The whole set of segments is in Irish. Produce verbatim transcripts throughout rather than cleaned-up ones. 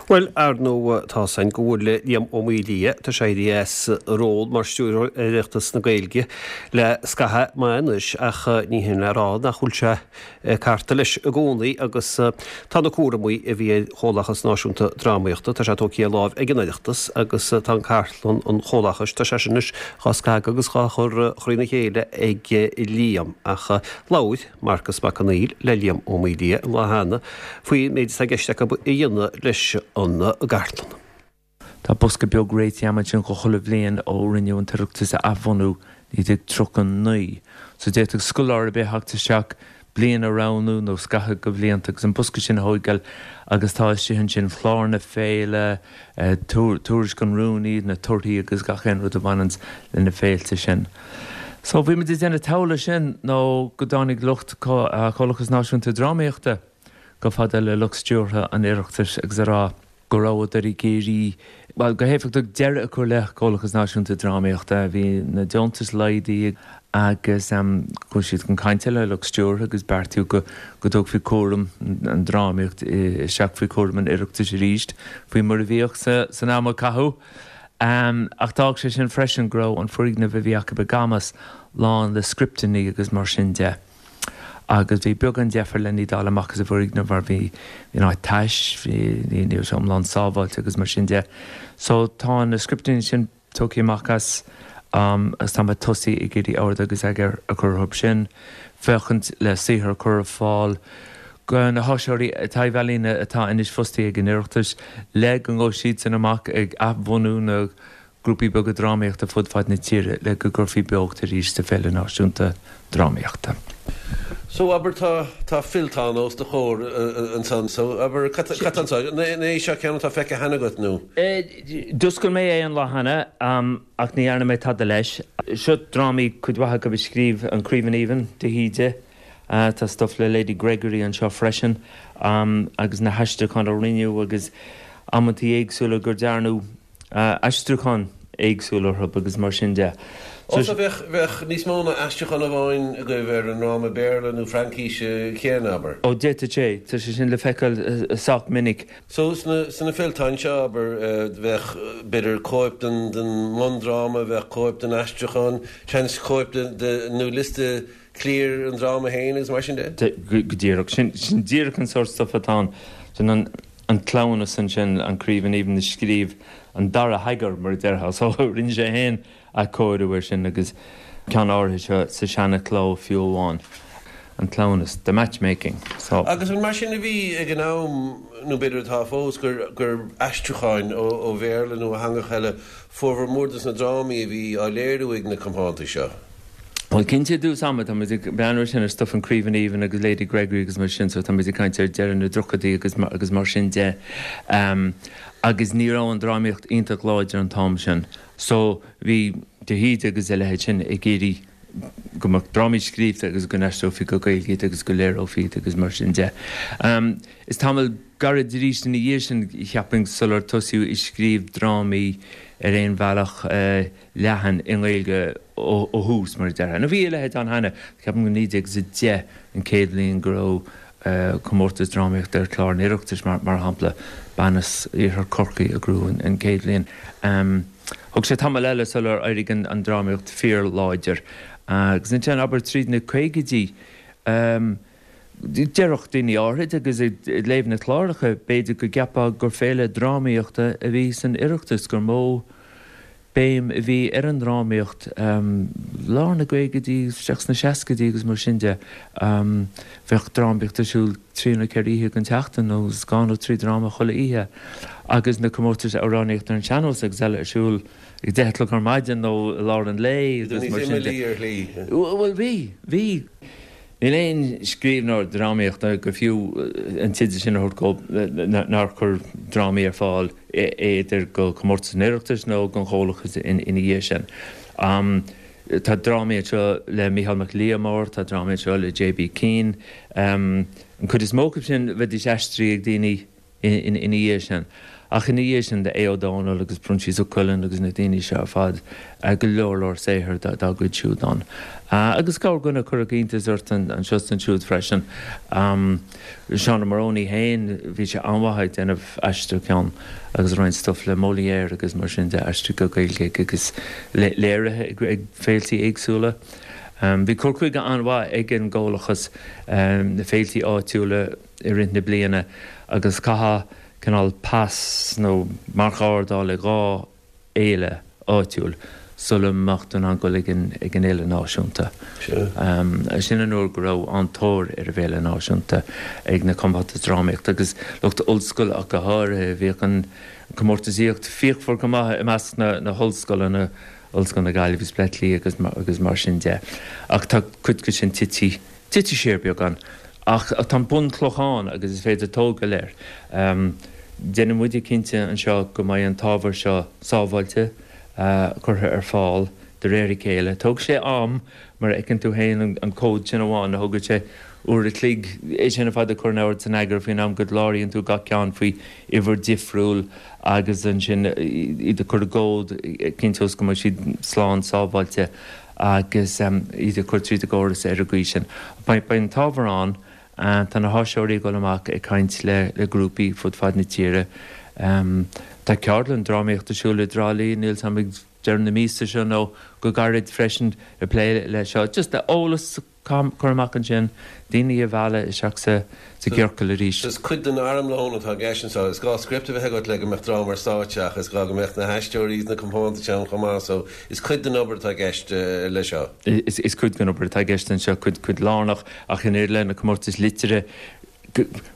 Well ar ndóigh tá san go bhfuil Liam Ó Maolaodha tá sé éirithe as ról mar stiúrthóir Oireachtas na Gaeilge le scaitheamh maith anois ach ní hin le rá nach bhfuil sé carta leis i gcónaí agus tá na cúraimí a bhí ar Chomhlachas Náisiúnta Drámaíochta tá sé tógtha de láimh ag an Oireachtas agus tá an cartlann an chomhlachais tá sé sin anois dhá scagadh agus dhá chur thrína chéile ag Liam ach labhair Marcas Mac Conghail le Liam Ó Maolaodha an lá cheana faoin méid atá i gceist acu a dhéanamh leis an gcartlann. Tá bosca beag réitithe agam ansin go chuile bhliain ó rinneadh an tOireachtas a athbhunú naoi déag tríocha naoi. So d'fhéadfadh scoláire ar bith theacht isteach bliain a roghnú nó scaitheamh de bhlianta agus an bosca sin a thógáil agus tá istigh ansin clár na féile, tuairisc an rúnaí, na torthaí agus gach aon rud a bhaineanns le na féilte sin. So bhí muid ag déanamh togha sin nó go dtáinig lucht Chomhlachas Náisiúnta Drámaíochta chomh fada le lucht stiúrtha an Oireachtais agus a rá go rabhadar ag iarraidh, bhuel, go héifeachtach deireadh a chur le Comhlachas Náisiúnta Drámaíochta. Bhí na deontais laghdaithe agus chuaigh siad chun cainte le lucht stiúrtha agus beartaíodh go go dtógfaí cúram an drámaíocht isteach faoi chúram an Oireachtais arís, faoi mar a bhíodh san am a caitheadh. Ach d'fhág sé sin freisin go raibh an foirgneamh a bhí acu i gCamas lán le scripteanna agus mar sin de. Agus bhí beagán deifir lena iad a fháil amach as an bhfoirgneamh mar bhí an áit tais, bhí ní raibh sé iomlán sábháilte agus mar sin de. So tá na scripteanna sin tógtha amach as agus tá mé tosaithe ag iarraidh ord agus eagar a chur orthu sin, féachaint le saothar a chur ar fáil go na háisitheoirí taibh-ealaíne atá anois fostaithe ag an Oireachtas le go ngabhfaidh siadsan amach ag athbhunú na grúpaí beaga drámaíochta fud fad na tíre le go gcuirfí beocht arís sa Féile Náisiúnta Drámaíochta. So abair tá tá fillteán os do chomhair ansan so abair cad tá anseo? An é seo ceann atá feicthe cheana agat nó? D'oscail mé é an lá cheana ach ní dhearna mé tada leis. Seo drámaí cuid mhaith acu a scríobh an Craoibhín Aoibhinn de hÍde. Tá stuff le Lady Gregory anseo freisin agus na haistriúcháin a rinneadh agus amantaí éagsúla gur dearnadh aistriúcháin éagsúla orthu agus mar sin de. Ó so bheadh, bheadh níos mó ná aistriúchán amháin agaibh ar an ndráma Béarla nó Fraincíse céanna, abair? Ó d'fhéadfadh sé, tá sé sin le feiceáil sách minic. So sna, sna fillteáin seo, abair, bheadh b'fhéidir cóip den, den mbundráma, bheadh cóip den aistriúchán, seans cóip de, de, nó liosta cliar an dráma féin agus mar sin de? Go díreach. Sin, sin díreach an sórt stuff atá ann. Sin an, an cleamhnas ansin, an Craoibhín Aoibhinn a scríobh an dara heagar, mar a déarfá. So rinne sé féin athchóiriú air sin agus ceann áirithe seo sa seana-chló fiú amháin, an cleamhnas, the matchmaking. So. Agus an mar sin a bhí ag an am, nó b'fhéidir atá fós, gur, gur aistriúcháin ó, ó Bhéarla nó ó theangacha eile formhór mór de na drámaí a bhí á léiriú ag na compántais seo? Bhuel, cinnte i dtús ama, tá muid ag breathnú ar sin ar stuff an Craoibhín Aoibhinn agus Lady Gregory agus mar sin, so tá muid ag caint ar deireadh na dtríochaidí agus agus mar sin de. Agus ní raibh an drámaíocht iontach láidir an t-am sin. So bhí de hÍde agus a leithéid sin ag iarraidh go mbeadh drámaí scríofa agus go n-aistreofaí go Gaeilge iad agus go léireofaí iad agus mar sin de. Is tamall gairid arís ina dhiaidh sin, cheapfainn, sular tosaíodh ag scríobh drámaí ar aon bhealach leathan i nGaeilge ó thús, mar a déarfá. Nó bhí a leithéid ann cheana, ceapaim go naoi déag is a deich an chéad bhliain go raibh comórtas drámaíochta ar chlár an Oireachtais, mar shampla. Bean as iarthar Chorcaí a ghnóthaigh an chéad bhliain. Thóg sé tamall eile sular éirigh an drámaíocht fíorláidir. Agus ansin, abair, tríd na caogaidí, déarfadh daoine áithrid agus ag léamh na cláracha, b'fhéidir go gceapfá gur féile drámaíochta a bhí san Oireachtas, gur mó béim a bhí ar an ndrámaíocht lár na gcaogaidí isteach sna seascaidí agus mar sin de. Bheadh drámaíocht ar siúl trí nó ceithre oíche den tseachtain nó dhá nó trí dráma chuile oíche agus na comórtais amhránaíochta ar an sean-nós agus eile ar siúl ag deich a chlog ar maidin nó i lár an lae agus mar sin de. Bhuel bhí, bhí. Níl aon scríbhneoir drámaíochta gur fiú an teideal sin a thabhairt dó nár chuir drámaí ar fáil idir go comórtas an Oireachtais nó don Chomhlachas ina dhiaidh sin. Tá drámaí anseo le Mícheál Mac Liammóir, tá drámaí anseo le J B Keane. An chuid is mó acu sin bheidís aistrithe ag daoine ina dhiaidh sin. Ach ina dhiaidh sin de Aodh Ó Domhnaill agus Proinsias Ó Coileáin agus na daoine seo ar fad, go leor leor saothair dá gcuid siúd ann. Agus corrdhuine a chuirfeadh iontas ort anseo is ansiúd freisin. Seán Ó Morónaí féin, bhí sé an-mhaith ag déanamh aistriúchán agus roinnt stuif le Molière agus mar sin de aistrithe go Gaeilge agus léirithe ag féiltí éagsúla. Bhí cur chuige an-mhaith ag an gComhlachas, na féiltí áitiúla i rith na bliana agus chaithfeá cineál pas nó marc a fháil ag dhá fhéile áitiúil sula mbeadh tú in ann dul ag an fhéile náisiúnta. Sin an uair go raibh an-tóir ar an bhféile náisiúnta ag na compántais drámaíochta agus lucht ollscoile ach go háirithe. Bhíodh an chomórtasaíocht fíochmhar go maith i measc na hollscoileanna, Ollscoil na Gaillimhe agus Bleá Cliath agus mar sin de. Ach tá cuid de sin tite tite siar beagán. Ach tá an bunchloch ann agus is féidir tógáil air. Déanfaidh muide cinnte anseo go mbeidh an t-ábhar seo sábháilte, curtha ar fáil de réir a chéile. Tógfaidh sé am, mar a fheiceann tú féin, an comhad sin amháin, a thógann sé uair a chloig é sin ar fad a chur in ord is in eagar faoin am go gcláraíonn tú gach ceann faoi uimhir difriúil agus ansin iad a chur i gcomhad, cinnteos go mbeidh siad slán sábháilte agus iad a chur tríd an gcóras ar an gcaoi sin. Beidh an t-ábhar ann, tá na háisitheoirí ag dul amach ag caint le grúpaí fud fad na tíre. Tá ceardlann drámaíochta ar siúl i dTrá Lí, níl 's a'm ag deireadh na míosa seo nó go gairid freisin ag plé le seo. Just le eolas a chur amach ansin, daoine a mhealladh isteach sa gciorcal arís. Is cuid den armlón atá i gceist anseo. Is gá script a bheith agat le go mbeadh dráma ar stáitse ach is gá go mbeadh na haisteoirí is na compántais ann chomh maith so is cuid den obair atá i gceist leis seo. Is cuid den obair atá i gceist anseo, cuid, cuid lárnach ach in éineacht le na comórtais liteartha,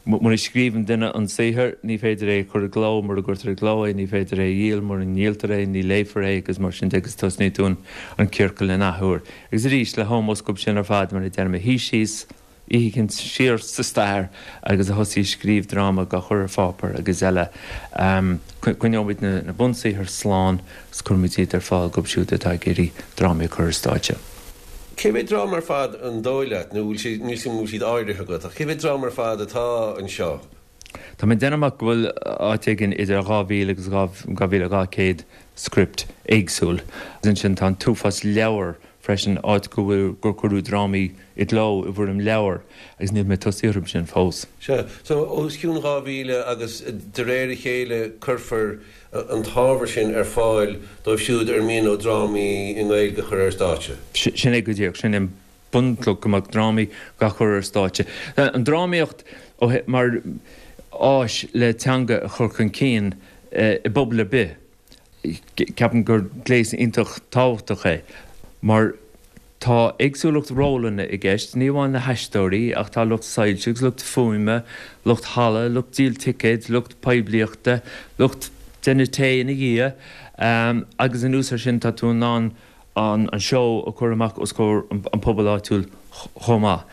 mura scríobhann duine an saothar, ní féidir é a chur i gcló, mura gcuirtear i gcló é, ní féidir é a dhíol, mura ndíoltar é, ní léifear é agus mar sin de agus tosnaíonn tú an ciorcal in athuair. Agus arís, le hómós dóibh sin ar fad, mar a deirim, a shuigh síos oíche éicint siar sa stair agus a thosaigh ag scríobh dráma dhá chur ar pháipéar agus eile, coinneoimid na bunsaothair slán agus cuirfimid iad ar fáil dóibh siúd atá ag iarraidh drámaí a chur ar stáitse. Cé mhéad dráma ar fad an dóigh leat, nó bhfuil siad, níl 's a'm an bhfuil siad áirithe agat, ach cé mhéad dráma ar fad atá anseo? Tá mé ag déanamh amach go bhfuil áit éigin idir dhá mhíle agus dhá mhíle dhá chéad script éagsúil. Agus ansin tá an t-uafás leabhar freisin, áit go bhfuil, gur cuireadh drámaí i gcló i bhfoirm leabhar agus níl mé tosaithe orthu sin fós. Sea, so os cionn dhá mhíle agus de réir a chéile cuirfear an t-ábhar sin ar fáil dóibh siúd ar mian leo drámaí i nGaeilge a chur ar stáitse. Sin é go díreach. Sin é an bunchloch, go mbeadh drámaí dhá chur ar stáitse. An drámaíocht mar áis le teanga a chur chun cinn i bpobal ar bith, ceapaim gur gléas iontach tábhachtach é mar Tá éagsúlacht rólanna i gceist, ní amháin na haisteoirí ach tá lucht soilse agus lucht fuaime, lucht halla, lucht díol ticéid, lucht poiblíochta, lucht déanamh tae ina dhiaidh agus anuas air sin tá tú in ann an seó a chur amach os comhair an pobail áitiúil chomh maith.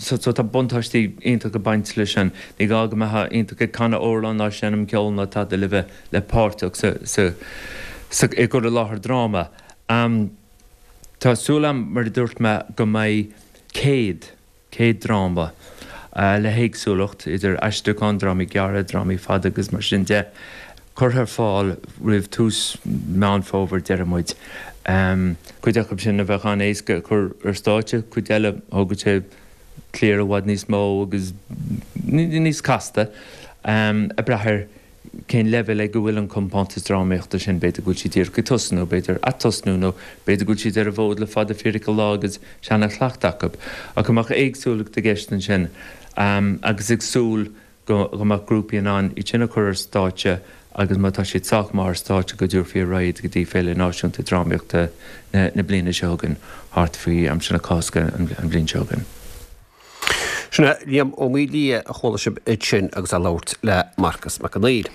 So tá buntáistí iontach ag baint leis sin. Ní gá go mbeifeá iontach ag canadh amhrán ná seinm ceoil ná tada le bheith le páirteach sa sa i gcur i láthair dráma. Tá súil agam, mar a dúirt mé, go mbeidh céad, céad dráma le héagsúlacht, idir aistriúchán, drámaí gearra, drámaí fada agus mar sin de, curtha ar fáil roimh tús Meán Fómhair, deir muid. Cuid acu sin a bheadh an-éasca a chur ar stáitse, cuid eile, thógfadh sé cliar i bhfad níos mó agus níos casta, ag brath ar cén leibhéal ag a bhfuil an compántas drámaíochta sin, b'fhéidir go bhfuil siad díreach ag tosnú, b'fhéidir atosnú nó b'fhéidir go bhfuil siad ar an bhfód le fada fíric an lá agus seana-chleachtadh acu. Ach go mbeadh éagsúlacht i gceist ansin agus ag súil go mbeadh grúpaí in ann iad sin a chur ar stáitse agus má tá siad sách maith ar stáitse go dtabharfaí ar aghaidh iad go dtí Féile Náisiúnta Drámaíochta na bliana seo chugainn, thart faoi aimsir na Cásca an bhliain seo chugainn. Sin é Liam Ó Maolaodha a chuala sibh ansin agus é ag labhairt le Marcas Mac Conghail.